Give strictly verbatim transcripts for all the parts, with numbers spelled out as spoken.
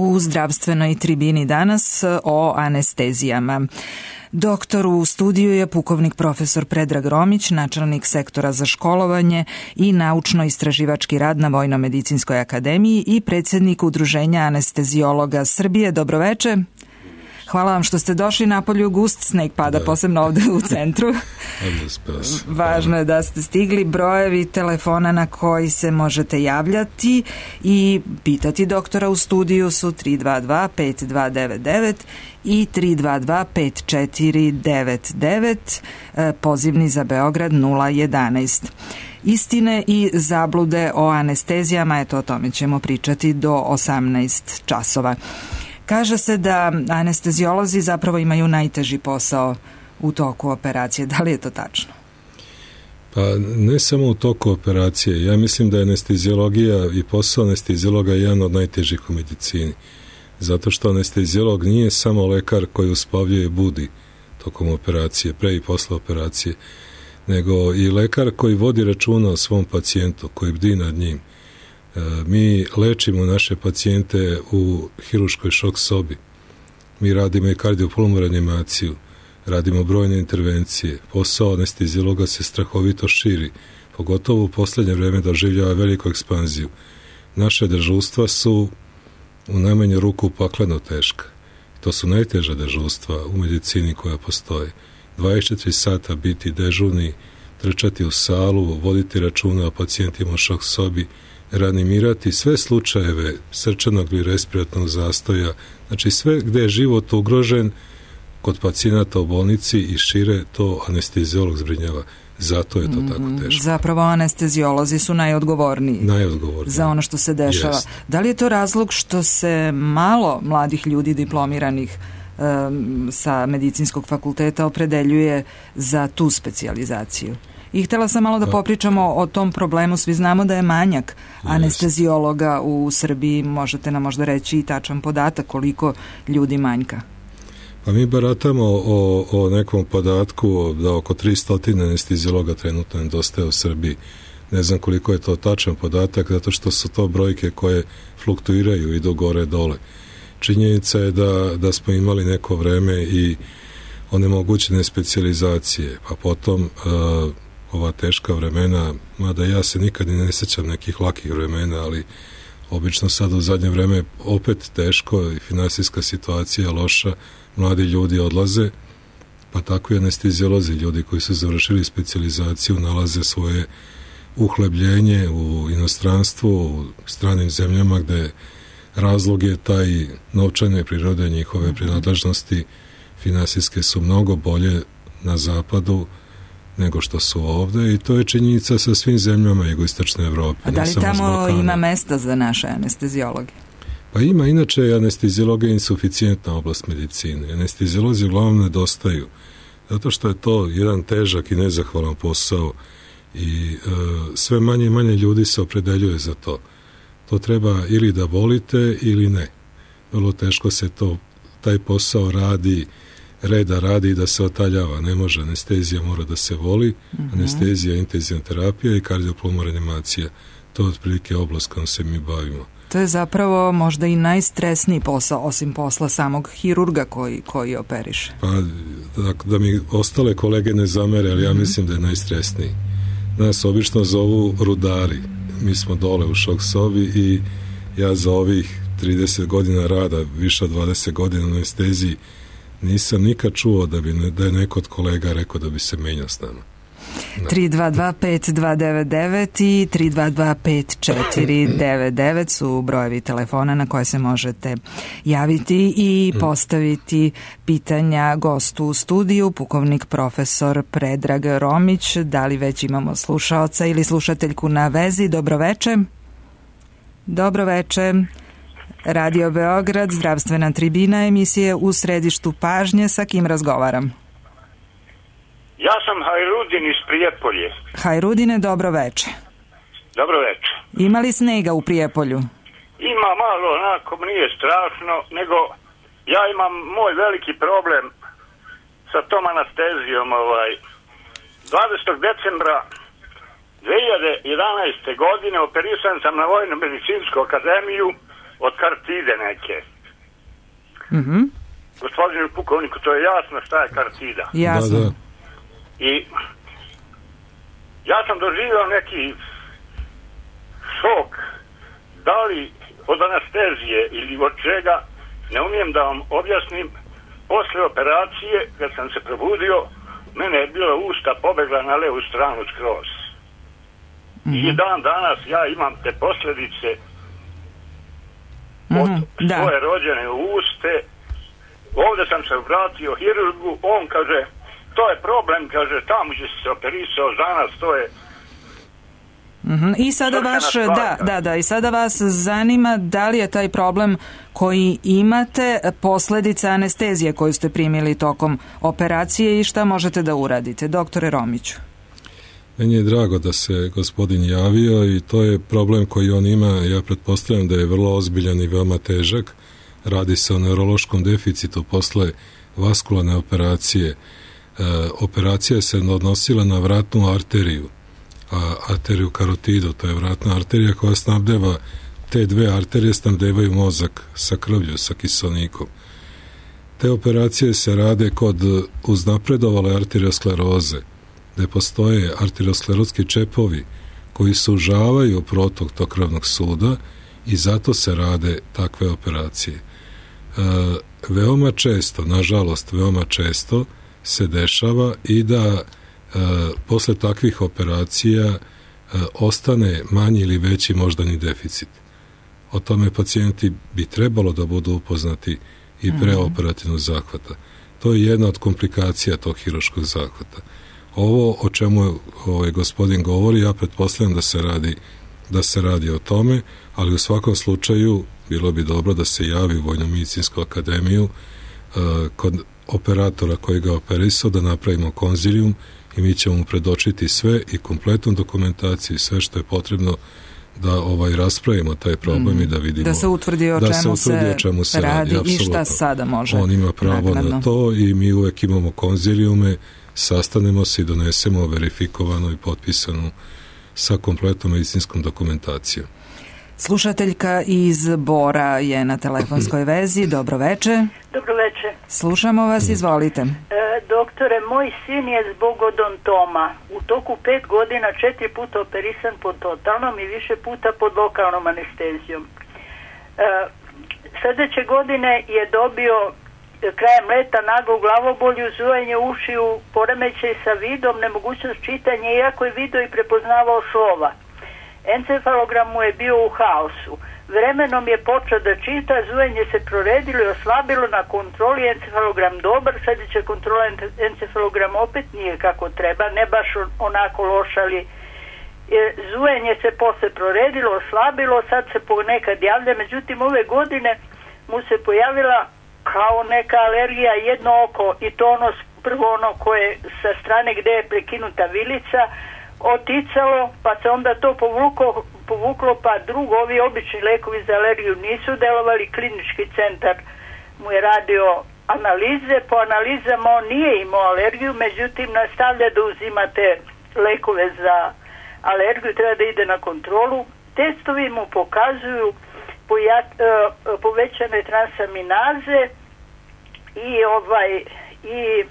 U zdravstvenoj tribini danas o anestezijama. Doktor u studiju je pukovnik profesor Predrag Romić, načelnik sektora za školovanje i naučno-istraživački rad na Vojno-medicinskoj akademiji i predsjednik Udruženja anesteziologa Srbije. Dobroveče. Hvala vam što ste došli. Napolju gust sneg pada, da. Posebno ovde u centru. Važno je da ste stigli. Brojevi telefona na koji se možete javljati i pitati doktora u studiju su tri dva dva pet dva devet devet i tri dva dva pet četiri devet devet, pozivni za Beograd nula jedanaest. Istine i zablude o anestezijama, eto o tome ćemo pričati do osamnaest časova. Kaže se da anesteziolozi zapravo imaju najteži posao u toku operacije. Da li je to tačno? Pa ne samo u toku operacije. Ja mislim da je anesteziologija i posao anesteziologa jedan od najtežih u medicini. Zato što anesteziolog nije samo lekar koji uspavljuje i budi tokom operacije, pre i posle operacije, nego i lekar koji vodi računa o svom pacijentu, koji bdi nad njim. Mi lečimo naše pacijente u hirurškoj šok sobi. Mi radimo i kardiopulmonalnu reanimaciju, radimo brojne intervencije. Posao anesteziologa se strahovito širi, pogotovo u poslednje vreme doživljava veliku ekspanziju. Naše dežurstva su u najmanju ruku pakleno teška. To su najteža dežurstva u medicini koja postoje. dvadeset četiri sata biti dežurni, trčati u salu, voditi računa o pacijentima u šok sobi, reanimirati sve slučajeve srčanog ili respiratnog zastoja, znači sve gde je život ugrožen kod pacijenata u bolnici i šire, to anesteziolog zbrinjava. Zato je to mm, tako teško. Zapravo anesteziolozi su najodgovorniji, najodgovorniji za ono što se dešava. Jest. Da li je to razlog što se malo mladih ljudi diplomiranih um, sa medicinskog fakulteta opredeljuje za tu specijalizaciju? I htjela sam malo da popričamo o tom problemu. Svi znamo da je manjak anesteziologa u Srbiji. Možete nam možda reći i tačan podatak koliko ljudi manjka? Pa mi baratamo o, o nekom podatku da oko tristo anesteziologa trenutno nedostaje u Srbiji. Ne znam koliko je to tačan podatak, zato što su to brojke koje fluktuiraju, idu gore dole. Činjenica je da, da smo imali neko vreme i onemogućene specijalizacije, pa potom uh, ova teška vremena, mada ja se nikad ne sjećam nekih lakih vremena, ali obično sad u zadnje vreme opet teško i finansijska situacija loša, mladi ljudi odlaze, pa tako i anesteziolozi, ljudi koji su završili specijalizaciju, nalaze svoje uhlebljenje u inostranstvu, u stranim zemljama gde razlog je taj novčane prirode njihove prinadležnosti, finansijske su mnogo bolje na zapadu nego što su ovde i to je činjenica sa svim zemljama jugoistočne Evrope. A da li tamo ima mesta za naše anesteziologe? Pa ima, inače anesteziologija je insuficijentna oblast medicine. Anesteziolozi uglavnom nedostaju, zato što je to jedan težak i nezahvalan posao i e, sve manje i manje ljudi se opredeljuje za to. To treba ili da volite ili ne. Vrlo teško se to, taj posao radi, reda radi da se otaljava. Ne može, anestezija mora da se voli, mm-hmm. anestezija, intenzivna terapija i kardiopulmonalna reanimacija. To je otprilike oblast kojom se mi bavimo. To je zapravo možda i najstresniji posao, osim posla samog hirurga koji, koji operiše. Pa, da, da mi ostale kolege ne zamere, ali ja mm-hmm. mislim da je najstresniji. Nas obično zovu rudari. Mi smo dole u šok sobi i ja za ovih trideset godina rada, više od dvadeset godina na anesteziji, nisam nikad čuo da, bi ne, da je neko od kolega rekao da bi se menjao s nama. tri dva dva pet dva devet devet i tri dva dva pet četiri devet devet su brojevi telefona na koje se možete javiti i postaviti pitanja gostu u studiju, pukovnik profesor Predrag Romić. Da li već imamo slušaoca ili slušateljku na vezi? Dobroveče. Dobroveče. Radio Beograd, zdravstvena tribina, emisije U središtu pažnje. Sa kim razgovaram? Ja sam Hajrudin iz Prijepolje. Hajrudine, dobro veče. Dobro veče. Ima li snega u Prijepolju? Ima malo, onako nije strašno, nego ja imam moj veliki problem sa tom anestezijom. Ovaj. dvadesetog decembra dve hiljade jedanaeste. godine operisan sam na Vojno-medicinsku akademiju od kartide neke. Mhm. Gospodinu pukovniku, to je jasno šta je kartida. Jasno. Da, da. I ja sam doživio neki šok, da li od anestezije ili od čega, ne umijem da vam objasnim. Posle operacije, kad sam se probudio, mene je bila usta pobegla na levu stranu skroz. Mm-hmm. I dan danas ja imam te posljedice od mm-hmm. svoje rođene uste. Ovdje sam se vratio hirurgu, on kaže, to je problem, kaže, tamo će se operisao za nas, to je... Mm-hmm. I sada vaš, da, da, da, i sada vas zanima da li je taj problem koji imate posljedica anestezije koju ste primili tokom operacije i šta možete da uradite. Doktore Romiću. Meni je drago da se gospodin javio i to je problem koji on ima. Ja pretpostavljam da je vrlo ozbiljan i veoma težak. Radi se o neurološkom deficitu posle vaskularne operacije. E, operacija se odnosila na vratnu arteriju, a arteriju karotidu, to je vratna arterija koja snabdeva, te dve arterije snabdevaju mozak sa krvlju, sa kiselnikom. Te operacije se rade kod uznapredovale arterioskleroze, gde postoje arteriosklerotski čepovi koji sužavaju protok tog krvnog suda i zato se rade takve operacije. E, veoma često, nažalost, veoma često se dešava i da e, posle takvih operacija e, ostane manji ili veći moždani deficit. O tome pacijenti bi trebalo da budu upoznati i preoperativnog zahvata. To je jedna od komplikacija tog hirurškog zahvata. Ovo o čemu ovaj gospodin govori, ja pretpostavljam da se radi da se radi o tome, ali u svakom slučaju bilo bi dobro da se javi u Vojno-medicinsku akademiju uh, kod operatora koji ga operisao, da napravimo konzilijum i mi ćemo mu predočiti sve i kompletnu dokumentaciju i sve što je potrebno da ovaj raspravimo taj problem mm. i da vidimo da se utvrdi o, da čemu, se utvrdi o čemu se radi, radi i šta sada može. On ima pravo naknadno na to i mi uvek imamo konzilijume, sastanemo se i donesemo verifikovanu i potpisanu sa kompletnom medicinskom dokumentacijom. Slušateljka iz Bora je na telefonskoj vezi. Dobro veče. Dobro veče. Slušamo vas, izvolite. E, doktore, moj sin je zbog odontoma u toku pet godina četiri puta operisan pod totalnom i više puta pod lokalnom anestezijom. E, sljedeće godine je dobio krajem leta naglu glavobolju, zujanje ušiju, poremećaj sa vidom, nemogućnost čitanja, iako je video i prepoznavao slova. Encefalogram mu je bio u haosu. Vremenom je počeo da čita, zujanje se proredilo i oslabilo, na kontroli encefalogram dobar, sljedeća kontrola encefalogram opet nije kako treba, ne baš onako loš, ali zujanje se posle proredilo, oslabilo, sad se ponekad javlja, međutim ove godine mu se pojavila kao neka alergija jedno oko i to ono prvo ono koje sa strane gde je prekinuta vilica oticalo, pa se onda to povuklo, povuklo pa drugo, ovi obični lekovi za alergiju nisu delovali, klinički centar mu je radio analize, po analizama on nije imao alergiju, međutim nastavlja da uzimate lekove za alergiju, treba da ide na kontrolu. Testovi mu pokazuju Pojat, uh, povećane transaminaze i ovaj i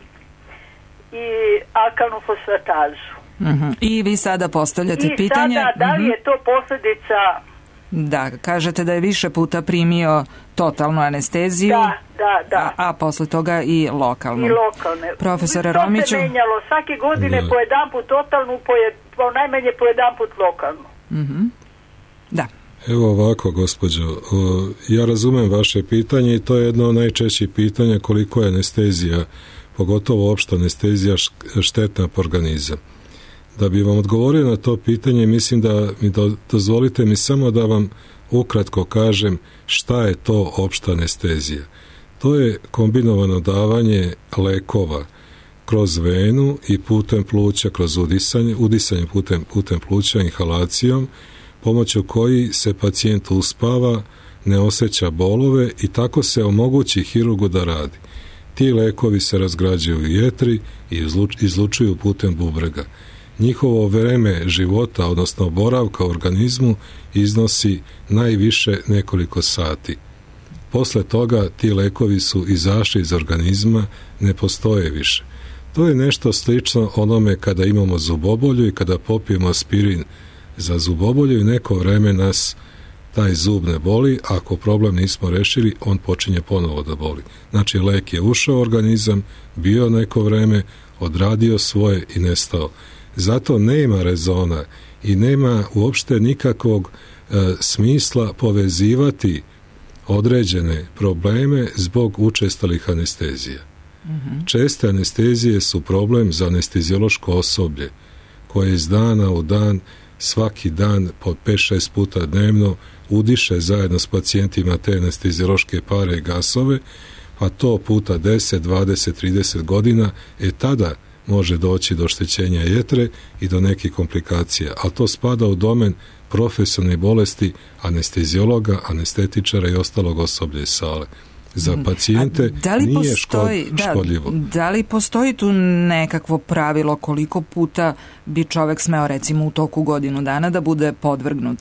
i alkalnu fosfatazu. Uh-huh. I vi sada postavljate I pitanje. I sada, da li je to posljedica? Da, kažete da je više puta primio totalnu anesteziju. Da, da, da. A, a posle toga i lokalnu. I lokalne. Profesore to Romiću. To se menjalo svake godine da. po jedan put totalnu, po, je, po najmanje po jedan put lokalnu. Uh-huh. Da. Evo ovako, gospođo, ja razumem vaše pitanje i to je jedno od najčešćih pitanja koliko je anestezija, pogotovo opšta anestezija, štetna po organizam. Da bi vam odgovorio na to pitanje, mislim da mi do, dozvolite mi samo da vam ukratko kažem šta je to opšta anestezija. To je kombinovano davanje lekova kroz venu i putem pluća, kroz udisanje, udisanje putem, putem pluća, inhalacijom, pomoću koji se pacijent uspava, ne osjeća bolove i tako se omogući hirurgu da radi. Ti lekovi se razgrađuju u jetri i izlučuju putem bubrega. njihovo vreme života, odnosno boravka u organizmu, iznosi najviše nekoliko sati. Posle toga ti lekovi su izašli iz organizma, ne postoje više. To je nešto slično onome kada imamo zubobolju i kada popijemo aspirin za zubobolju i neko vreme nas taj zub ne boli, a ako problem nismo rešili, on počinje ponovo da boli. Znači, lek je ušao u organizam, bio neko vreme, odradio svoje i nestao. Zato nema rezona i nema uopšte nikakvog e, smisla povezivati određene probleme zbog učestalih anestezija. Mm-hmm. Česte anestezije su problem za anesteziološko osoblje koje iz dana u dan, svaki dan po pet šest puta dnevno udiše zajedno s pacijentima te anesteziološke pare i gasove, a to puta deset, dvadeset, trideset godina, e tada može doći do oštećenja jetre i do nekih komplikacija, ali to spada u domen profesionalnih bolesti anesteziologa, anestetičara i ostalog osoblja iz sale. Za pacijente da li nije postoji, škod, da, škodljivo. Da li postoji tu nekakvo pravilo koliko puta bi čovek smeo recimo u toku godinu dana da bude podvrgnut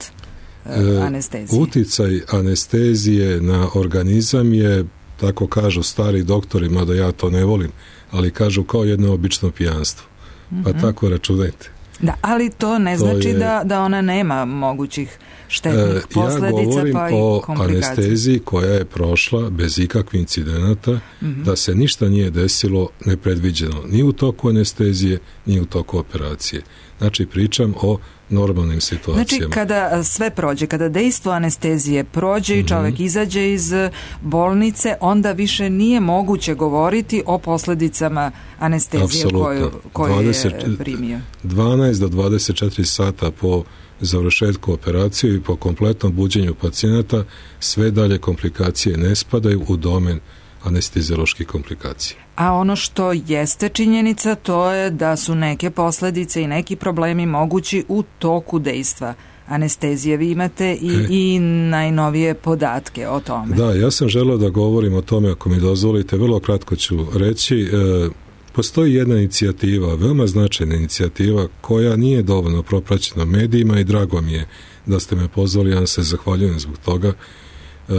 e, anesteziji? Uticaj anestezije na organizam je, tako kažu stari doktori, mada ja to ne volim, ali kažu kao jedno obično pijanstvo. Pa mm-hmm. tako računajte. Da, ali to ne to znači je, da, da ona nema mogućih štetnih e, posledica, ja govorim pa i o komplikacija. anesteziji koja je prošla bez ikakvih incidenata, mm-hmm. da se ništa nije desilo nepredviđeno, ni u toku anestezije, ni u toku operacije. Znači, pričam o normalnim situacijama. Znači, kada sve prođe, kada dejstvo anestezije prođe i čovjek mm-hmm. izađe iz bolnice, onda više nije moguće govoriti o posljedicama anestezije koju, koju dvadeset, je primio. dvanaest do dvadeset četiri sata po završetku operacije i po kompletnom buđenju pacijenata sve dalje komplikacije ne spadaju u domen anestezioloških komplikacija. A ono što jeste činjenica, to je da su neke posljedice i neki problemi mogući u toku dejstva anestezije. Vi imate i, e. i najnovije podatke o tome. Da, ja sam želeo da govorim o tome, ako mi dozvolite, vrlo kratko ću reći. E, postoji jedna inicijativa, veoma značajna inicijativa, koja nije dovoljno propraćena medijima i drago mi je da ste me pozvali, ja se zahvaljujem zbog toga, e,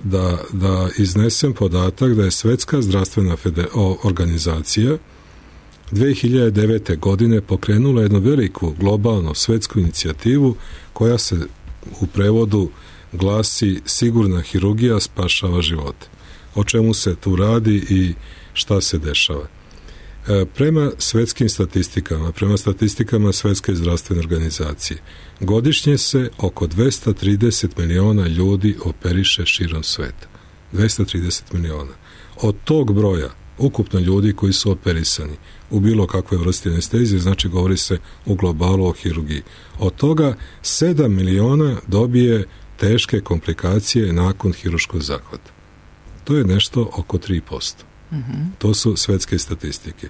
Da, da iznesem podatak da je Svetska zdravstvena organizacija dve hiljade devete. godine pokrenula jednu veliku globalnu svetsku inicijativu koja se u prevodu glasi Sigurna hirurgija spašava živote. O čemu se tu radi i šta se dešava? E, prema svetskim statistikama, prema statistikama Svetske zdravstvene organizacije, godišnje se oko dvesta trideset miliona ljudi operiše širom sveta. dvesta trideset miliona. Od tog broja, ukupno ljudi koji su operisani u bilo kakvoj vrsti anestezije, znači govori se u globalu o hirurgiji. Od toga sedam miliona dobije teške komplikacije nakon hirurškog zahvata. To je nešto oko tri posto. Mm-hmm. To su svetske statistike.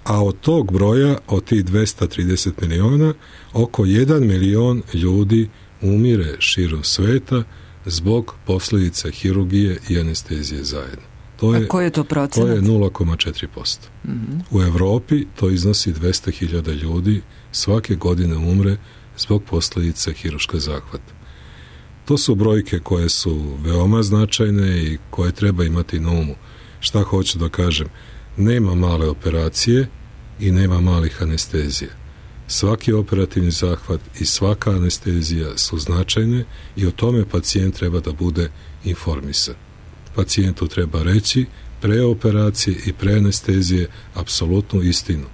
A od tog broja, od tih dvesta trideset miliona, oko jedan milion ljudi umire širom sveta zbog posljedica hirurgije i anestezije zajedno. To je, a koji je to procenat? To je nula zarez četiri posto. Mm-hmm. U Evropi to iznosi dvesta hiljada ljudi svake godine umre zbog posljedica hirurškog zahvata. To su brojke koje su veoma značajne i koje treba imati na umu. Šta hoću da kažem? Nema male operacije i nema malih anestezija. Svaki operativni zahvat i svaka anestezija su značajne i o tome pacijent treba da bude informisan. Pacijentu treba reći pre operacije i pre anestezije apsolutnu istinu.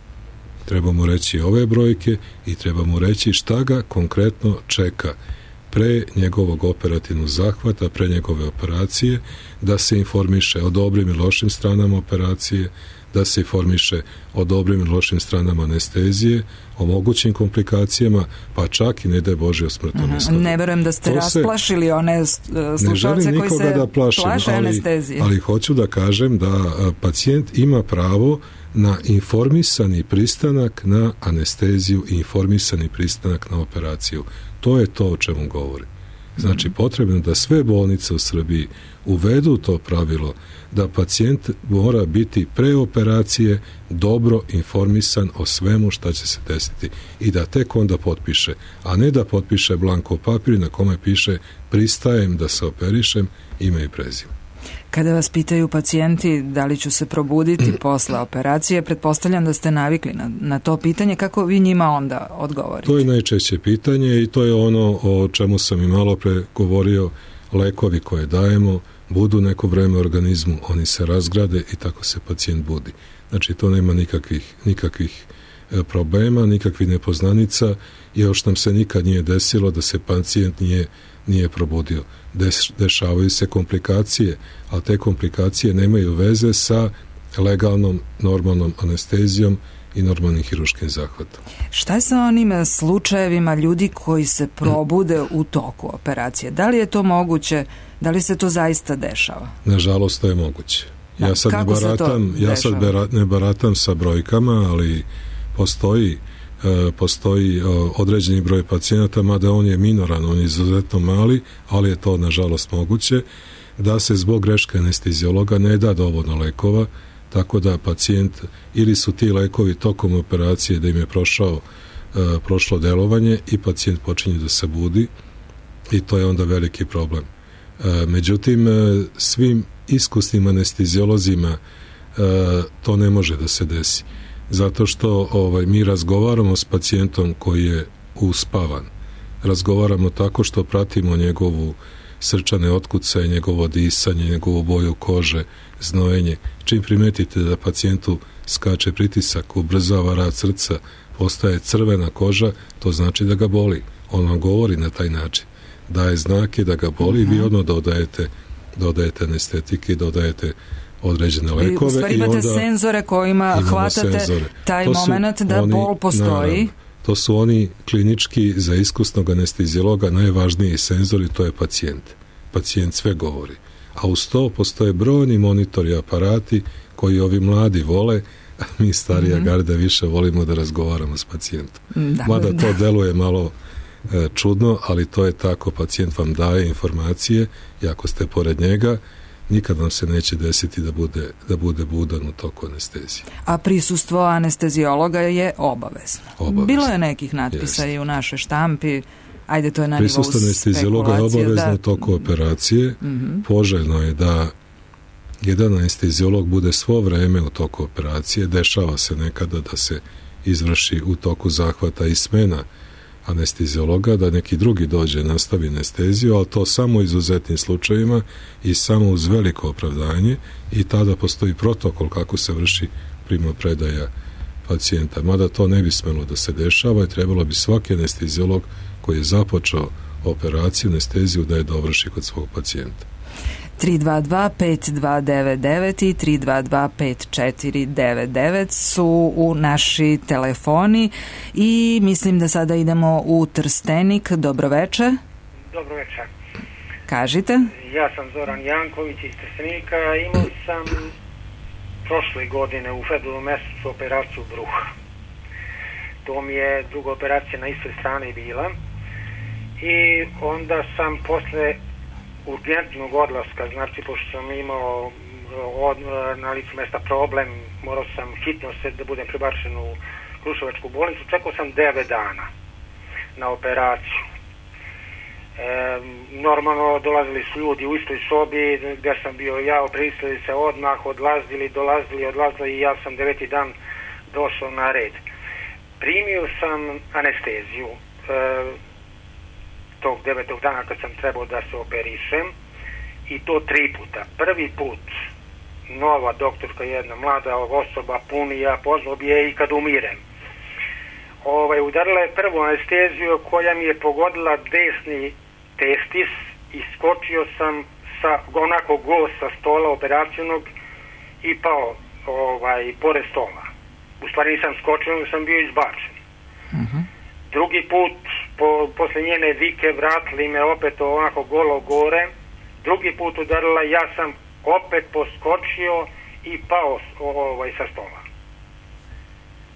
Treba mu reći ove brojke i treba mu reći šta ga konkretno čeka pre njegovog operativnog zahvata, pre njegove operacije, da se informiše o dobrim i lošim stranama operacije, da se informiše o dobrim i lošim stranama anestezije, o mogućim komplikacijama, pa čak i ne daj Bože o smrtnom ishodu. Ne verujem da ste to rasplašili se, one slušalce koji se da plašim, plaše ali, anestezije. Ali hoću da kažem da pacijent ima pravo na informisani pristanak na anesteziju i informisani pristanak na operaciju. To je to o čemu govorim. Znači, potrebno da sve bolnice u Srbiji uvedu to pravilo da pacijent mora biti pre operacije dobro informisan o svemu šta će se desiti i da tek onda potpiše, a ne da potpiše blanko papir na kome piše pristajem da se operišem, ime i prezime. Kada vas pitaju pacijenti da li ću se probuditi posle operacije, pretpostavljam da ste navikli na, na to pitanje, kako vi njima onda odgovorite? To je najčešće pitanje i to je ono o čemu sam i malo pre govorio, lekovi koje dajemo budu neko vreme u organizmu, oni se razgrade i tako se pacijent budi. Znači to nema nikakvih, nikakvih problema, nikakvih nepoznanica i još nam se nikad nije desilo da se pacijent nije, nije probudio. Deš, dešavaju se komplikacije, ali te komplikacije nemaju veze sa legalnom, normalnom anestezijom i normalnim hiruškim zahvatom. Šta je sa onim slučajevima ljudi koji se probude u toku operacije? Da li je to moguće? Da li se to zaista dešava? Nažalost, to je moguće. Da, ja sad, ne baratam, ja sad bera, ne baratam sa brojkama, ali postoji, e, postoji e, određeni broj pacijenata, mada on je minoran, on je izuzetno mali, ali je to nažalost moguće, da se zbog greške anesteziologa ne da dovoljno lekova, tako da pacijent, ili su ti lekovi tokom operacije da im je prošao, e, prošlo delovanje i pacijent počinje da se budi i to je onda veliki problem. E, međutim, e, svim iskusnim anesteziolozima e, to ne može da se desi. Zato što ovaj, mi razgovaramo s pacijentom koji je uspavan. Razgovaramo tako što pratimo njegovu srčane otkucaje, njegovo disanje, njegovu boju kože, znojenje. Čim primetite da pacijentu skače pritisak, ubrzava rad srca, postaje crvena koža, to znači da ga boli. On vam govori na taj način. Daje znake da ga boli, uh-huh. vi odmah dodajete, dodajete anestetike, dodajete određene lekove. U stvari imate i onda senzore kojima hvatate senzore. Taj moment da oni, bol postoji. Naravno, to su oni klinički za iskusnog anesteziologa najvažniji senzori, to je pacijent. Pacijent sve govori. A uz to postoje brojni monitori, aparati koji ovi mladi vole, a mi starija mm-hmm. garda više volimo da razgovaramo s pacijentom. Da, Mada da. to deluje malo e, čudno, ali to je tako, pacijent vam daje informacije i ako ste pored njega, nikad vam se neće desiti da bude, da bude budan u toku anestezije. A prisustvo anesteziologa je obavezno. obavezno. Bilo je nekih natpisa Jest. i u našoj štampi, ajde to je na nivou spekulacije. Prisustvo anesteziologa je obavezno da... u toku operacije. Mm-hmm. Poželjno je da jedan anesteziolog bude svo vreme u toku operacije. Dešava se nekada da se izvrši u toku zahvata i smena anesteziologa, da neki drugi dođe nastavi anesteziju, ali to samo u izuzetnim slučajevima i samo uz veliko opravdanje i tada postoji protokol kako se vrši primopredaja pacijenta. Mada to ne bi smelo da se dešava i trebalo bi svaki anesteziolog koji je započeo operaciju, anesteziju, da je dovrši kod svog pacijenta. tri dva dva pet dva devet devet i tri dva dva pet četiri devet devet su u naši telefoni i mislim da sada idemo u Trstenik. Dobroveče. Dobroveče. Kažite. Ja sam Zoran Janković iz Trstenika. Imao sam prošle godine u februaru mesecu operaciju bruha. To mi je druga operacija na istoj strani bila i onda sam posle urgentnog odlaska, znači pošto sam imao od, na licu mesta problem, morao sam hitno se da budem prebačen u Kruševačku bolnicu, čekao sam devet dana na operaciju. E, normalno dolazili su ljudi u istoj sobi gdje sam bio ja, opristili se odmah, odlazili, dolazili, odlazili i ja sam deveti dan došao na red. Primio sam anesteziju e, tog devetog dana kad sam trebao da se operišem i to tri puta. Prvi put nova doktorka, jedna mlada osoba, punija, pozvao bi je i kad umirem. Ovaj, udarila je prvu anesteziju koja mi je pogodila desni testis i skočio sam sa onako go sa stola operacijnog i pao ovaj, pored stola. U stvari nisam skočio, nego sam bio izbačen. Uh-huh. Drugi put, po, posle njene vike, vratili me opet onako golo gore. Drugi put udarila, ja sam opet poskočio i pao ovaj, sa stola.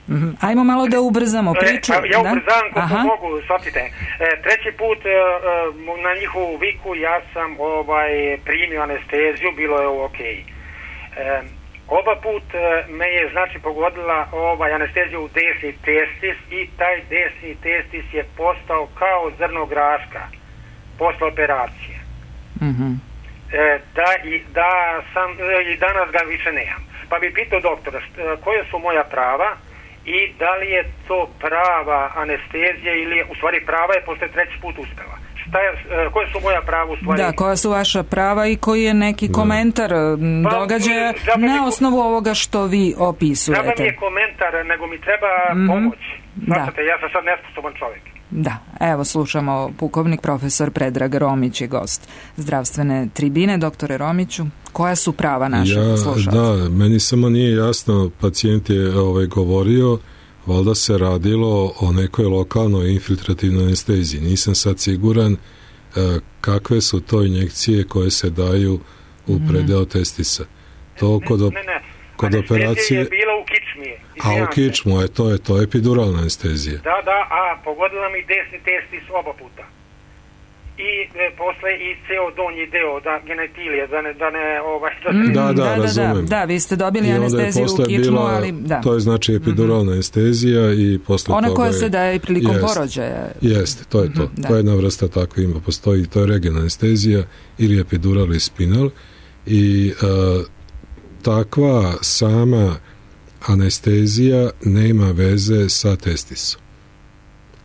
Mm-hmm. Ajmo malo da ubrzamo priču. E, ja ubrzam da? koliko mogu, shvatite. E, treći put e, na njihovu viku ja sam ovaj, primio anesteziju, bilo je ok. E, oba put me je znači pogodila ovaj, anesteziju u desni testis i taj desni testis je postao kao zrno graška posle operacije. Mm-hmm. E, da, i, da sam, i danas ga više nemam. Pa bi pitao doktora št, koje su moja prava i da li je to prava anestezija ili u stvari prava je posle treći put uspela. Šta je, koje su moja prava u stvari? Da, koja su vaša prava i koji je neki komentar pa, događaja na mi, osnovu ovoga što vi opisujete? Treba mi je komentar, nego mi treba mm-hmm. pomoć. Znate, ja sam sad nesposoban čovjek. Da, evo slušamo pukovnik profesor Predrag Romić je gost zdravstvene tribine. Doktore Romiću, koja su prava našeg ja, slušalca? Da, meni samo nije jasno, pacijent je ovaj, govorio, valjda se radilo o nekoj lokalnoj infiltrativnoj anesteziji. Nisam sad siguran e, kakve su to injekcije koje se daju u predeo testisa. To kod, op- ne, ne, ne. kod operacije je bila u kičmi. A u kičmu, je to je to epiduralna anestezija. Da, da, a pogodila mi desni testis oba puta. I e, posle i ceo donji deo, da genetilije, da ne, da ne, ovaj... Da, mm, da, da, da, razumem. Da, da, vi ste dobili anesteziju u kičmu, bila, ali da. To je znači epiduralna mm-hmm. anestezija i posle ona toga... koja je, se daje prilikom jest, porođaja. Jeste, to je to. Mm-hmm, to je jedna vrsta tako ima. Postoji, to je regionalna anestezija ili epidural ili spinal i uh, takva sama anestezija nema veze sa testisom.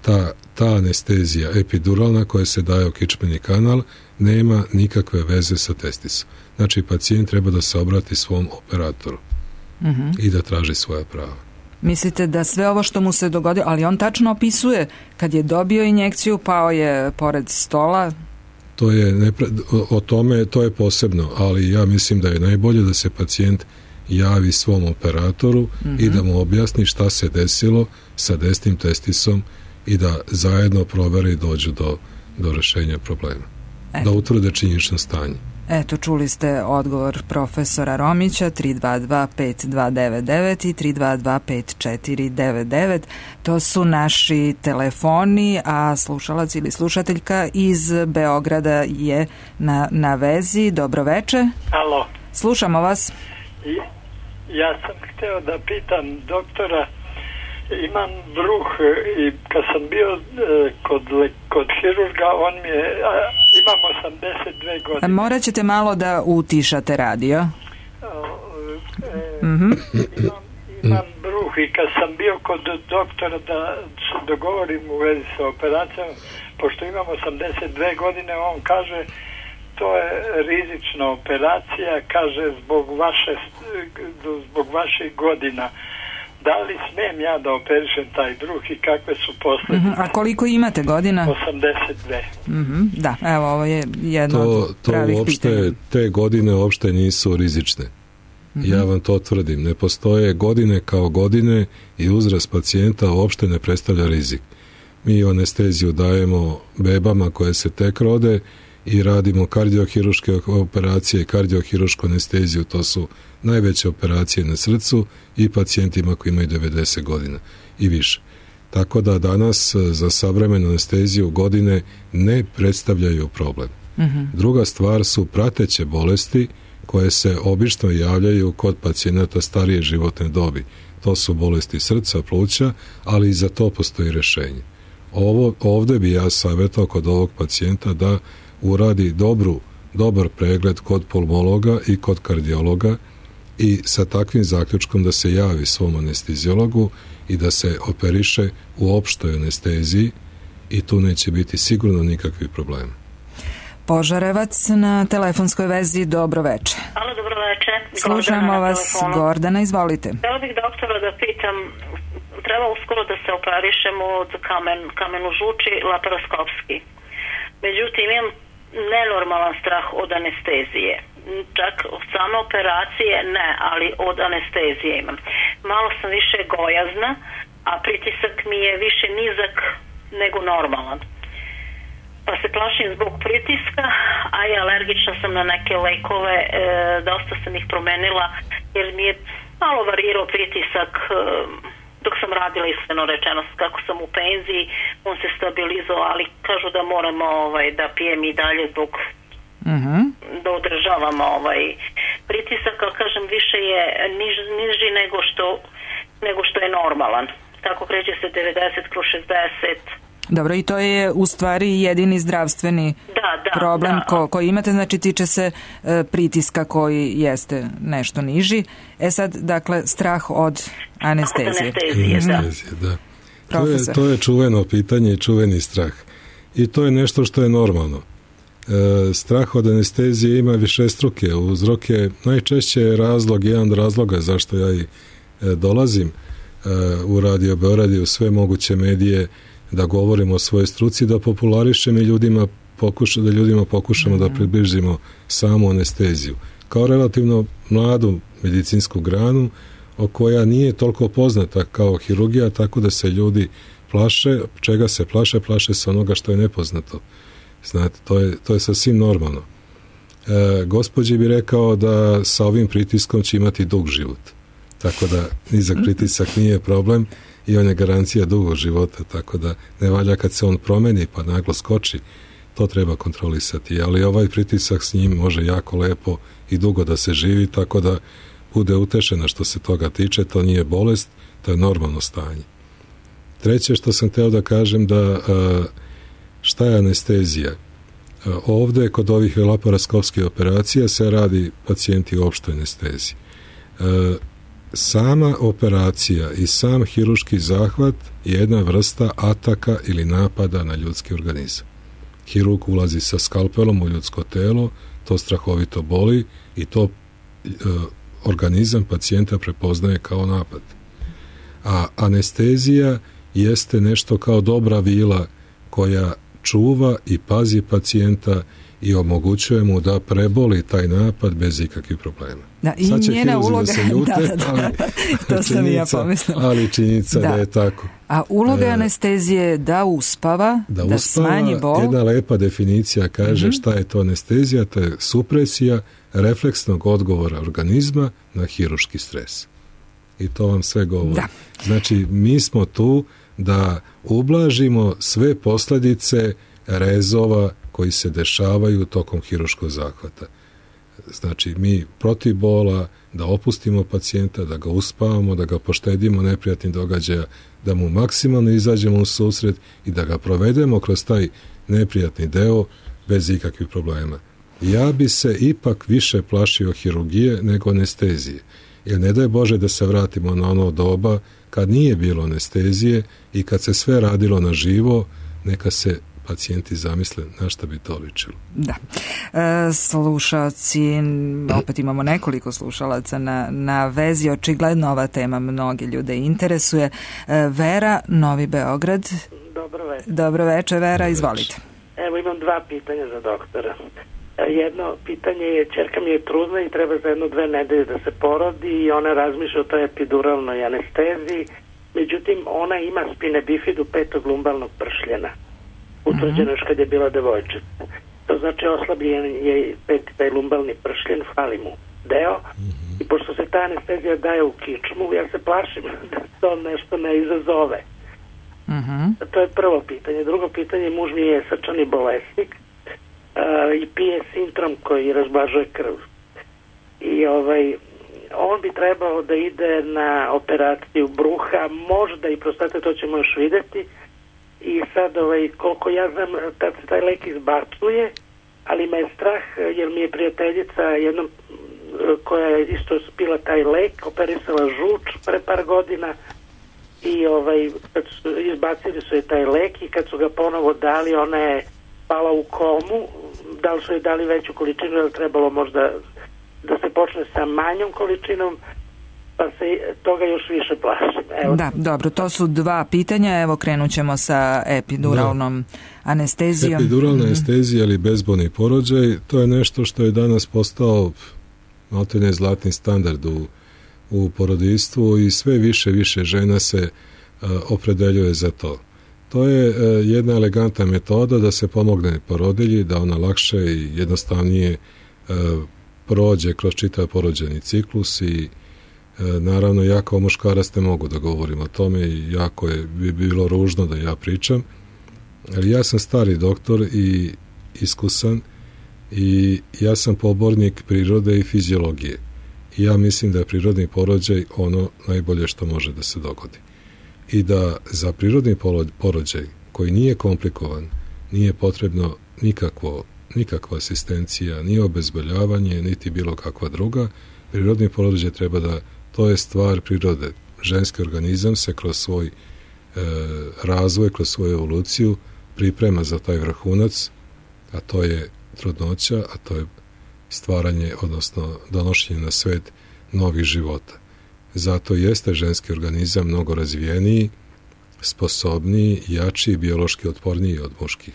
Ta, ta anestezija epiduralna koja se daje u kičmeni kanal nema nikakve veze sa testisom. Znači, pacijent treba da se obrati svom operatoru mm-hmm. i da traži svoja prava. Mislite da sve ovo što mu se dogodilo, ali on tačno opisuje kad je dobio injekciju, pao je pored stola? To je, nepre, o tome, to je posebno, ali ja mislim da je najbolje da se pacijent javi svom operatoru mm-hmm. i da mu objasni šta se desilo sa desnim testisom i da zajedno provere i dođu do, do rešenja problema. Eto. Da utvrde činjenično stanje. Eto, čuli ste odgovor profesora Romića, tri dva dva pet dva devet devet i tri dva dva pet četiri devet devet. To su naši telefoni, a slušalac ili slušateljka iz Beograda je na, na vezi. Dobro veče. Alo. Slušamo vas. Ja sam hteo da pitam doktora, imam bruh i kad sam bio kod, kod hirurga, on mi je, imam osamdeset dve godine. Morat ćete malo da utišate radio. E, mm-hmm. imam, imam bruh i kad sam bio kod doktora da se dogovorim u vezi sa operacijom, pošto imam osamdeset dve godine, on kaže to je rizična operacija, kaže zbog vaše zbog vaših godina. Da li smem ja da operišem taj bruh i kakve su posljedice? Mm-hmm. A koliko imate godina? osamdeset dve. Mm-hmm. Da, evo, ovo je jedno to, od pravih to uopšte, pitanja. te godine uopšte nisu rizične. Mm-hmm. Ja vam to tvrdim. Ne postoje godine kao godine i uzrast pacijenta uopšte ne predstavlja rizik. Mi anesteziju dajemo bebama koje se tek rode i radimo kardiohiruške operacije i kardiohirušku anesteziju, to su najveće operacije na srcu i pacijentima koji imaju devedeset godina i više. Tako da danas za savremenu anesteziju godine ne predstavljaju problem. Mm-hmm. Druga stvar su prateće bolesti koje se obično javljaju kod pacijenata starije životne dobi. To su bolesti srca, pluća, ali i za to postoji rešenje. Ovo, ovde bi ja savjetao kod ovog pacijenta da uradi dobru, dobar pregled kod pulmologa i kod kardiologa i sa takvim zaključkom da se javi svom anesteziologu i da se operiše u opštoj anesteziji i tu neće biti sigurno nikakvi problemi. Požarevac na telefonskoj vezi, dobro veče. Alo, dobro veče. Slušamo vas, Gordana, izvolite. Htjela bih doktora da pitam, treba uskoro da se operišemo od kamen, kamenu žuči laparoskopski. Međutim, imam nenormalan strah od anestezije. Čak od same operacije ne, ali od anestezije imam. Malo sam više gojazna, a pritisak mi je više nizak nego normalan. Pa se plašim zbog pritiska, a i alergična sam na neke lekove, e, dosta sam ih promenila jer mi je malo varirao pritisak e, dok sam radila, iskreno rečeno, kako sam u penziji, on se stabilizovao, ali kažu da moramo ovaj, da pijem i dalje zbog uh-huh. da održavamo ovaj pritisak, ali kažem, više je niž, niži nego što, nego što je normalan. Tako kreće se devedeset kroz šezdeset. Dobro, i to je u stvari jedini zdravstveni da, da, problem da. Ko, koji imate, znači tiče se e, pritiska koji jeste nešto niži. E sad, dakle, strah od anestezije. Od anestezije, da. Anestezije, da. To je, to je čuveno pitanje i čuveni strah. I to je nešto što je normalno. E, strah od anestezije ima višestruke uzroke. Najčešće je razlog, jedan od razloga zašto ja i e, dolazim e, u Radio Beograd i u sve moguće medije da govorimo o svojoj struci, da popularišem i ljudima pokuša, da ljudima pokušamo mm-hmm. da približimo samu anesteziju. Kao relativno mladu medicinsku granu o koja nije toliko poznata kao hirurgija, tako da se ljudi plaše, čega se plaše, plaše se onoga što je nepoznato. Znate, to je, to je sasvim normalno. E, gospođi bi rekao da sa ovim pritiskom će imati dug život. Tako da nizak pritisak nije problem i on je garancija dugog života, tako da ne valja kad se on promeni pa naglo skoči, to treba kontrolisati, ali ovaj pritisak s njim može jako lepo i dugo da se živi, tako da bude utešena što se toga tiče, to nije bolest, to je normalno stanje. Treće što sam hteo da kažem da šta je anestezija? Ovde kod ovih laparoskopskih operacija se radi pacijenti u opštoj anesteziji. Sama operacija i sam hirurški zahvat je jedna vrsta ataka ili napada na ljudski organizam. Hirurg ulazi sa skalpelom u ljudsko telo, to strahovito boli i to e, organizam pacijenta prepoznaje kao napad. A anestezija jeste nešto kao dobra vila koja čuva i pazi pacijenta i omogućuje mu da preboli taj napad bez ikakvih problema. Da, i sad će njena uloga, da se ljute, da, da, da. ali, to sam i ja pomislila. Ali činjenica da. da je tako. A uloga e, anestezije je da uspava, da, da uspava, smanji bol. Jedna lepa definicija kaže mm-hmm. šta je to anestezija, to je supresija refleksnog odgovora organizma na hirurški stres. I to vam sve govori. Da. Znači, mi smo tu da ublažimo sve posljedice rezova koji se dešavaju tokom hirurškog zahvata. Znači, mi protiv bola, da opustimo pacijenta, da ga uspavamo, da ga poštedimo neprijatnih događaja, da mu maksimalno izađemo u susret i da ga provedemo kroz taj neprijatni deo bez ikakvih problema. Ja bi se ipak više plašio hirurgije nego anestezije. Jer ne daj Bože da se vratimo na ono doba kad nije bilo anestezije i kad se sve radilo na živo, neka se pacijenti zamisle na šta bi to ličilo. Da. E, slušalci, opet imamo nekoliko slušalaca na, na vezi, očigledno ova tema mnoge ljude interesuje. E, Vera, Novi Beograd. Dobro večer. Dobro večer, Vera, izvolite. Evo imam dva pitanja za doktora. Jedno pitanje je, ćerka mi je trudna i treba za jedno dve nedelje da se porodi i ona razmišlja o toj epiduralnoj anesteziji, međutim ona ima spine bifidu petog lumbalnog pršljena. Utvrđeno još kad je bila devojčica. To znači oslabljen je peti taj lumbalni pršljen, fali mu deo i pošto se ta anestezija daje u kičmu, ja se plašim da to nešto ne izazove. Uh-huh. To je prvo pitanje. Drugo pitanje, muž mi je srčani bolesnik uh, i pije sintrom koji razblažuje krv. I ovaj, on bi trebao da ide na operaciju bruha, možda i prostate, to ćemo još vidjeti. I sad, ovaj, koliko ja znam, tad se taj lek izbacuje, ali me je strah, jer mi je prijateljica jednom koja je isto spila taj lek, operisala žuč pre par godina i ovaj, kad su, izbacili su je taj lek i kad su ga ponovo dali, ona je pala u komu, da li su je dali veću količinu, ili trebalo možda da se počne sa manjom količinom, pa se toga još više plašim. Evo. Da, dobro, to su dva pitanja, evo krenut ćemo sa epiduralnom da. anestezijom. Epiduralna mm-hmm. anestezija ili bezbolni porođaj, to je nešto što je danas postao maltene zlatni standard u, u porodistvu i sve više više žena se uh, opredeljuje za to. To je uh, jedna elegantna metoda da se pomogne porodilji, da ona lakše i jednostavnije uh, prođe kroz čitav porođajni ciklus i naravno, ja kao muškarac ne mogu da govorim o tome i jako je, bi bilo ružno da ja pričam, ali ja sam stari doktor i iskusan i ja sam pobornik prirode i fiziologije. I ja mislim da je prirodni porođaj ono najbolje što može da se dogodi. I da za prirodni porođaj koji nije komplikovan, nije potrebno nikakvo, nikakva asistencija, ni obezboljavanje, niti bilo kakva druga, prirodni porođaj treba da, to je stvar prirode. Ženski organizam se kroz svoj e, razvoj, kroz svoju evoluciju priprema za taj vrhunac, a to je trudnoća, a to je stvaranje, odnosno donošenje na svet novih života. Zato jeste ženski organizam mnogo razvijeniji, sposobniji, jači i biološki otporniji od muških.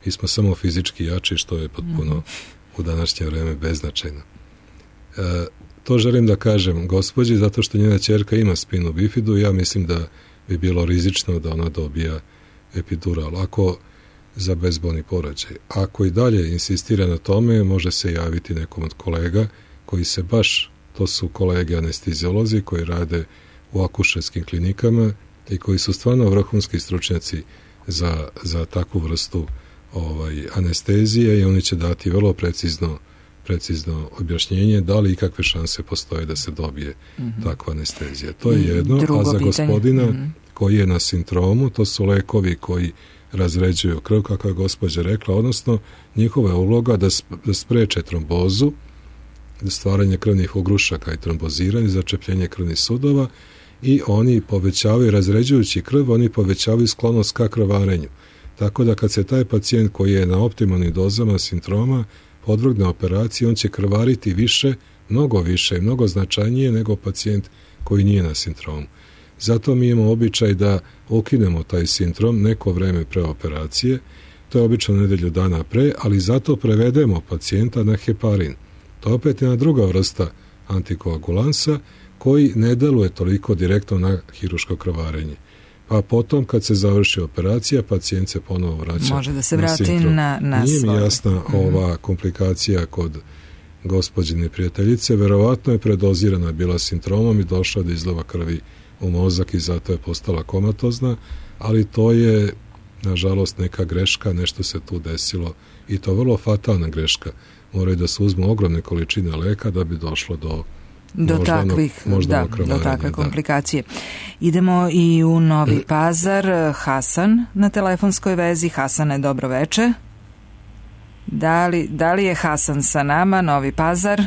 Mi smo samo fizički jači, što je potpuno mm-hmm. u današnje vreme beznačajno. E, to želim da kažem gospođi, zato što njena ćerka ima spinu bifidu, ja mislim da bi bilo rizično da ona dobija epidural. Ako za bezbolni porođaj. Ako i dalje insistira na tome, može se javiti nekom od kolega koji se baš, to su kolege anesteziolozi koji rade u akušerskim klinikama i koji su stvarno vrhunski stručnjaci za, za takvu vrstu ovaj, anestezije i oni će dati vrlo precizno, precizno objašnjenje da li i kakve šanse postoje da se dobije mm-hmm. takva anestezija. To je jedno, a za gospodina mm-hmm. koji je na sintromu, to su lekovi koji razređuju krv, kako je gospođa rekla, odnosno njihova je uloga da, sp- da spreče trombozu, da stvaranje krvnih ugrušaka i tromboziranje, začepljenje krvnih sudova i oni povećavaju, razređujući krv, oni povećavaju sklonost ka krvarenju. Tako da kad se taj pacijent koji je na optimalnim dozama sintroma podvrgne operaciji, on će krvariti više, mnogo više i mnogo značajnije nego pacijent koji nije na sintromu. Zato mi imamo običaj da ukinemo taj sindrom neko vreme pre operacije, to je obično nedelju dana pre, ali zato prevedemo pacijenta na heparin. To opet je jedna druga vrsta antikoagulansa koji ne deluje toliko direktno na hiruško krvarenje. Pa potom kad se završi operacija, pacijent se ponovo vraća. Može da se na vrati sindrom. na, na Nije mi svoj. jasna mm-hmm. ova komplikacija kod gospođine prijateljice. Verovatno je predozirana bila sindromom i došla do izlova krvi u mozak i zato je postala komatozna, ali to je nažalost neka greška, nešto se tu desilo i to vrlo fatalna greška. Moraju da se uzmu ogromne količine leka da bi došlo do do moždanog, takvih, moždanog da, krvarenja, do takve da. komplikacije. Idemo i u Novi Pazar. Hasan na telefonskoj vezi. Hasane, dobro veče. Da li, da li je Hasan sa nama? Novi Pazar.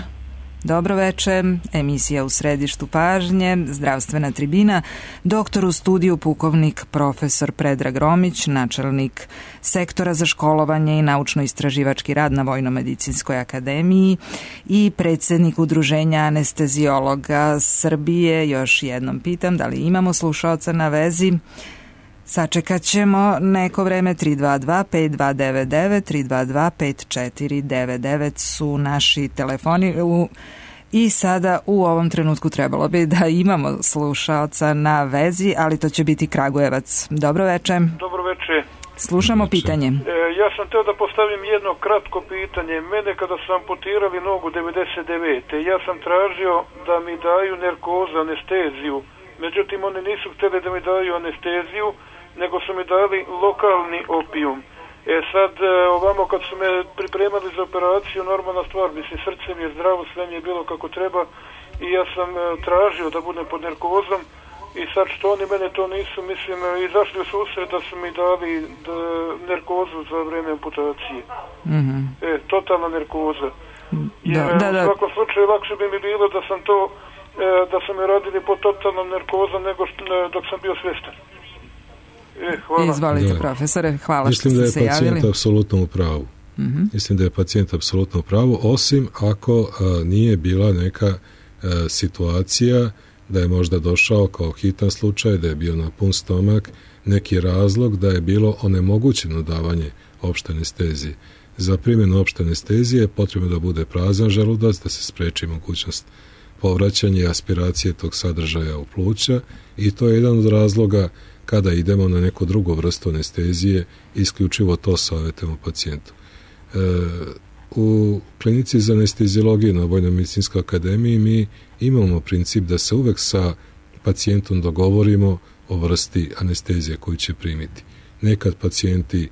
Dobro veče, emisija u središtu pažnje, zdravstvena tribina, doktor u studiju pukovnik profesor Predrag Romić, načelnik sektora za školovanje i naučno-istraživački rad na Vojno-medicinskoj akademiji i predsjednik Udruženja anesteziologa Srbije. Još jednom pitam da li imamo slušaoca na vezi. Sačekat ćemo neko vreme. Tri dva dva pet dva devet devet, tri dva dva pet četiri devet devet su naši telefoni u, i sada u ovom trenutku trebalo bi da imamo slušaoca na vezi, ali to će biti Kragujevac. Dobro veče. Dobro veče. Slušamo Dobro pitanje. E, ja sam teo da postavim jedno kratko pitanje. Mene kada su amputirali nogu devedeset devete ja sam tražio da mi daju narkozu, anesteziju. Međutim, oni nisu htjeli da mi daju anesteziju, nego su mi dali lokalni opijum. E sad, ovamo kad su me pripremali za operaciju, normalna stvar, mislim, srce mi je zdravo, sve mi je bilo kako treba i ja sam tražio da budem pod narkozom i sad što oni mene to nisu, mislim, izašli u susret da su mi dali da, narkozu za vreme amputacije. Mm-hmm. E, totalna narkoza. Da, Jer, da, da. u svakom slučaju lakše bi mi bilo da sam to da su me radili pod totalnom narkozom nego što, dok sam bio svjestan. E, hvala. Izvolite, Da. profesore, hvala Mislim što da je ste se javili. pacijent apsolutno u pravu. Mm-hmm. Mislim da je pacijent apsolutno u pravu, osim ako a, nije bila neka a, situacija da je možda došao kao hitan slučaj, da je bio na pun stomak, neki razlog da je bilo onemogućeno davanje opšte anestezije. Za primjenu opšte anestezije potrebno da bude prazan želudac, da se spreči mogućnost povraćanja i aspiracije tog sadržaja u pluća i to je jedan od razloga kada idemo na neku drugu vrstu anestezije, isključivo to savjetujemo pacijentu. E, u klinici za anesteziologiju na Vojno-medicinskoj akademiji mi imamo princip da se uvek sa pacijentom dogovorimo o vrsti anestezije koju će primiti. Nekad pacijenti e,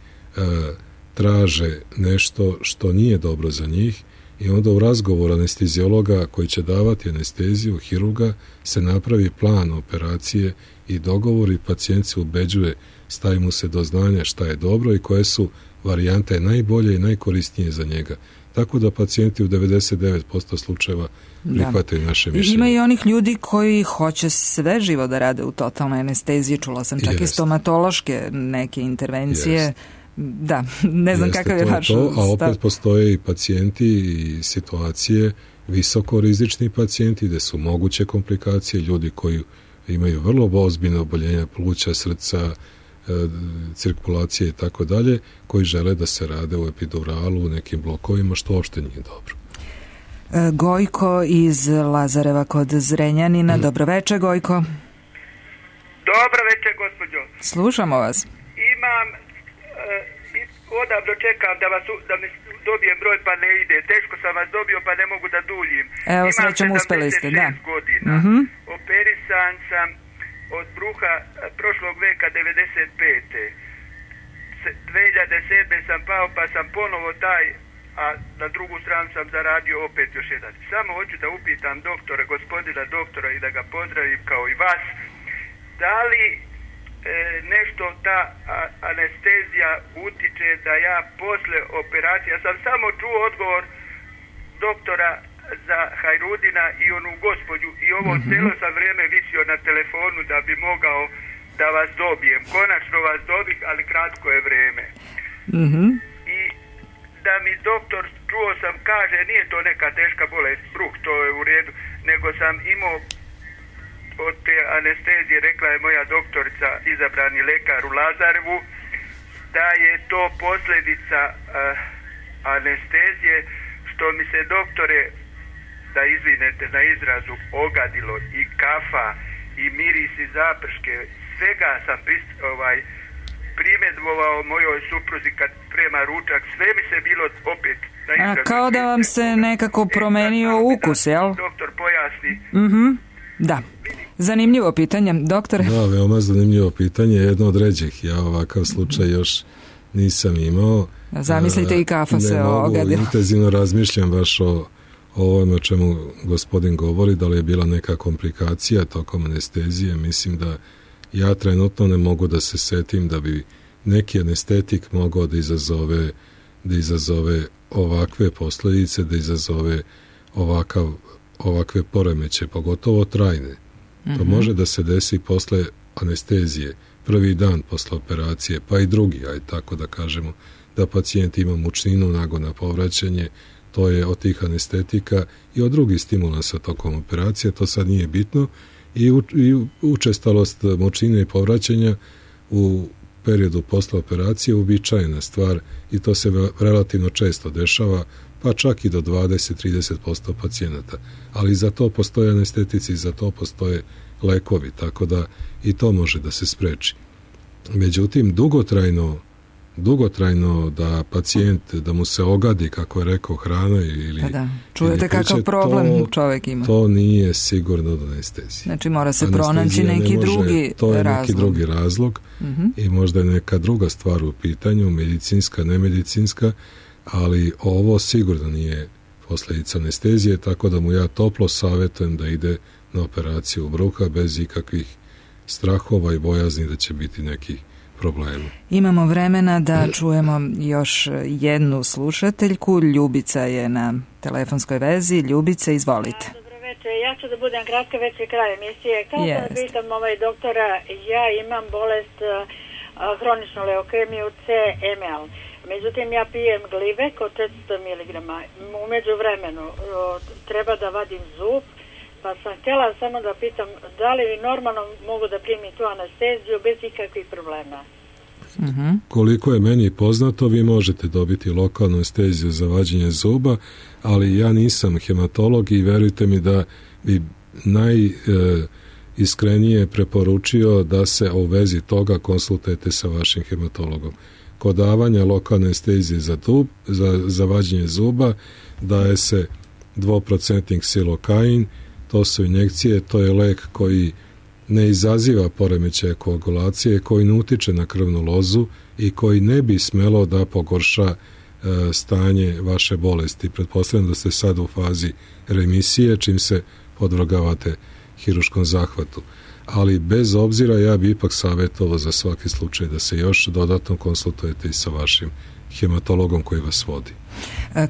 traže nešto što nije dobro za njih i onda u razgovoru anesteziologa koji će davati anesteziju, hirurga, se napravi plan operacije i dogovor i pacijent se ubeđuje, stavi mu se do znanja šta je dobro i koje su varijante najbolje i najkorisnije za njega. Tako da pacijenti u devedeset devet posto slučajeva prihvataju da. naše mišljenje. Ima i onih ljudi koji hoće sve živo da rade u totalnoj anesteziji. Čula sam čak Jest. i stomatološke neke intervencije. Jest. Da, ne znam Jeste, kakav je vaš stav. A opet postoje i pacijenti i situacije, visokorizični pacijenti gde su moguće komplikacije, ljudi koji imaju vrlo ozbiljne oboljenja pluća, srca, cirkulacije i tako dalje, koji žele da se rade u epiduralu, u nekim blokovima, što uopšte nije dobro. Gojko iz Lazareva kod Zrenjanina. Mm. Dobro večer, Gojko. Dobro večer, gospođo. Slušamo vas. Imam, uh, odavno čekam da, vas, da mi dobijem broj, pa ne ide. Teško sam vas dobio, pa ne mogu da duljim. Evo, srećom, uspeli ste, da. godina. Mm-hmm. Operisan sam od bruha prošlog veka devedeset pete dve hiljade sedme sam pao, pa sam ponovo taj, a na drugu stranu sam zaradio opet još jedan. Samo hoću da upitam doktora, gospodina doktora, i da ga pozdravim kao i vas, da li e, nešto ta a, anestezija utiče da ja posle operacije, ja sam samo čuo odgovor doktora za Hajrudina i onu gospođu i ovo mm-hmm. celo sam vrijeme visio na telefonu da bi mogao da vas dobijem. Konačno vas dobih, ali kratko je vrijeme. Mm-hmm. I da mi doktor, čuo sam, kaže, nije to neka teška bolest, bruh, to je u redu, nego sam imao od te anestezije, rekla je moja doktorica, izabrani lekar u Lazarevu, da je to posljedica uh, anestezije, što mi se, doktore, da izvinete na izrazu, ogadilo i kafa i miris i zaprške, svega sam prist, ovaj, primedvovao mojoj supruzi kad prema ručak, sve mi se bilo opet na izrazu. A kao da vam se nekako promenio e, ukus, jel? Doktor pojasni. Mhm, da. Zanimljivo pitanje, doktore. Da, veoma zanimljivo pitanje, jedno od ređih. Ja ovakav slučaj još nisam imao. Zamislite, i kafa se ogadila. Ne mogu, intenzivno razmišljam baš o o ovome o čemu gospodin govori, da li je bila neka komplikacija tokom anestezije. Mislim da ja trenutno ne mogu da se setim da bi neki anestetik mogao da izazove, da izazove ovakve posljedice, da izazove ovakav, ovakve poremeće, pogotovo trajne. Mm-hmm. To može da se desi posle anestezije, prvi dan posle operacije, pa i drugi, aj tako da kažemo, da pacijent ima mučninu, nagona povraćanje. To je od tih anestetika i od drugih stimulansa tokom operacije, to sad nije bitno, i, u, i učestalost mučnine i povraćanja u periodu posle operacije uobičajena stvar i to se relativno često dešava, pa čak i do dvadeset do trideset posto pacijenata. Ali za to postoje anestetici, za to postoje lekovi, tako da i to može da se spreči. Međutim, dugotrajno dugotrajno da pacijent, da mu se ogadi, kako je rekao, hrana ili... Pa da, čujete kakav problem to, čovjek ima. To nije sigurno do anestezije. Znači mora se pronaći neki može, drugi to je razlog. neki drugi razlog uh-huh. i možda je neka druga stvar u pitanju, medicinska, nemedicinska, ali ovo sigurno nije posljedica anestezije, tako da mu ja toplo savjetujem da ide na operaciju bruha bez ikakvih strahova i bojazni da će biti nekih problema. Imamo vremena da čujemo još jednu slušateljku. Ljubica je na telefonskoj vezi. Ljubice, izvolite. Dobro večer, ja ću da budem kratka, već je kraj emisije. Kao yes. da pitam ovaj doktora, ja imam bolest uh, hroničnu leukemiju C M L. Međutim, ja pijem glivek od četiristo miligrama. Umeđu vremenu uh, treba da vadim zub, pa sam htjela samo da pitam da li normalno mogu da primim tu anesteziju bez ikakvih problema. Uh-huh. Koliko je meni poznato, vi možete dobiti lokalnu anesteziju za vađenje zuba, ali ja nisam hematolog i verujte mi da bi najiskrenije preporučio da se u vezi toga konsultujete sa vašim hematologom. kod davanja lokalne anestezije za, tub, za, za vađenje zuba daje se dvoprocentni ksilokain, to su injekcije, to je lek koji ne izaziva poremećaje koagulacije, koji ne utiče na krvnu lozu i koji ne bi smelo da pogorša e, stanje vaše bolesti. Pretpostavljam da ste sad u fazi remisije, čim se podvrgavate hiruškom zahvatu. Ali bez obzira ja bi ipak savjetovao za svaki slučaj da se još dodatno konsultujete i sa vašim hematologom koji vas vodi.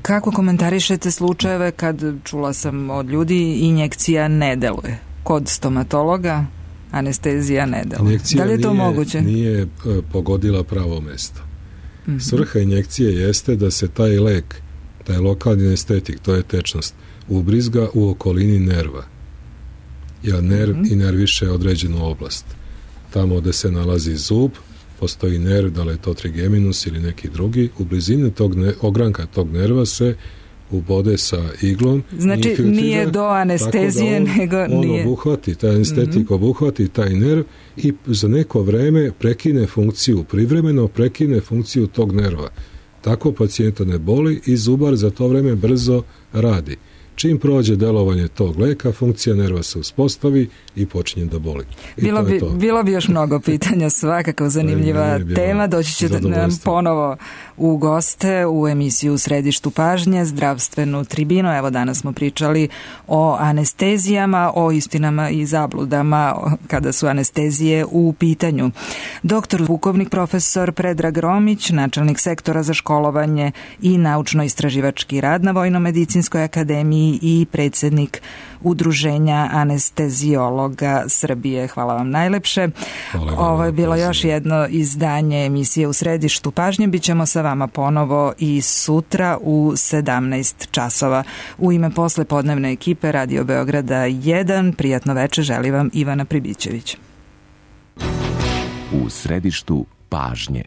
Kako komentarišete slučajeve kad, čula sam od ljudi, injekcija ne deluje? Kod stomatologa anestezija ne deluje. Injekcija da li je to nije, moguće? nije pogodila pravo mesto. Mm-hmm. Svrha injekcije jeste da se taj lek, taj lokalni anestetik, to je tečnost, ubrizga u okolini nerva. Jer nerv mm-hmm. inerviše određenu oblast. Tamo gde se nalazi zub, postoji nerv, da li je to trigeminus ili neki drugi, u blizini tog ne, ogranka tog nerva se ubode sa iglom. Znači nije do anestezije, da on, nego on nije. On obuhvati, taj anestetik mm-hmm. obuhvati taj nerv i za neko vreme prekine funkciju, privremeno prekine funkciju tog nerva. Tako pacijenta ne boli i zubar za to vreme brzo radi. Čim prođe delovanje tog leka, funkcija nerva se uspostavi i počinje da boli. I bilo, bi, bilo bi još mnogo pitanja, svakako zanimljiva tema. Doći ćete nam ponovo u goste u emisiju U središtu pažnje, zdravstvenu tribinu. Evo danas smo pričali o anestezijama, o istinama i zabludama kada su anestezije u pitanju. Doktor pukovnik profesor Predrag Romić, načelnik sektora za školovanje i naučno-istraživački rad na Vojno-medicinskoj akademiji i predsjednik Udruženja anestezijologa Srbije. Hvala vam najlepše. Hvala, Ovo je bilo još jedno izdanje emisije U središtu pažnje. Bićemo sa vama ponovo i sutra u sedamnaest časova. U ime poslepodnevne ekipe Radio Beograda jedan, prijatno večer želi vam Ivana Pribićević. U središtu pažnje.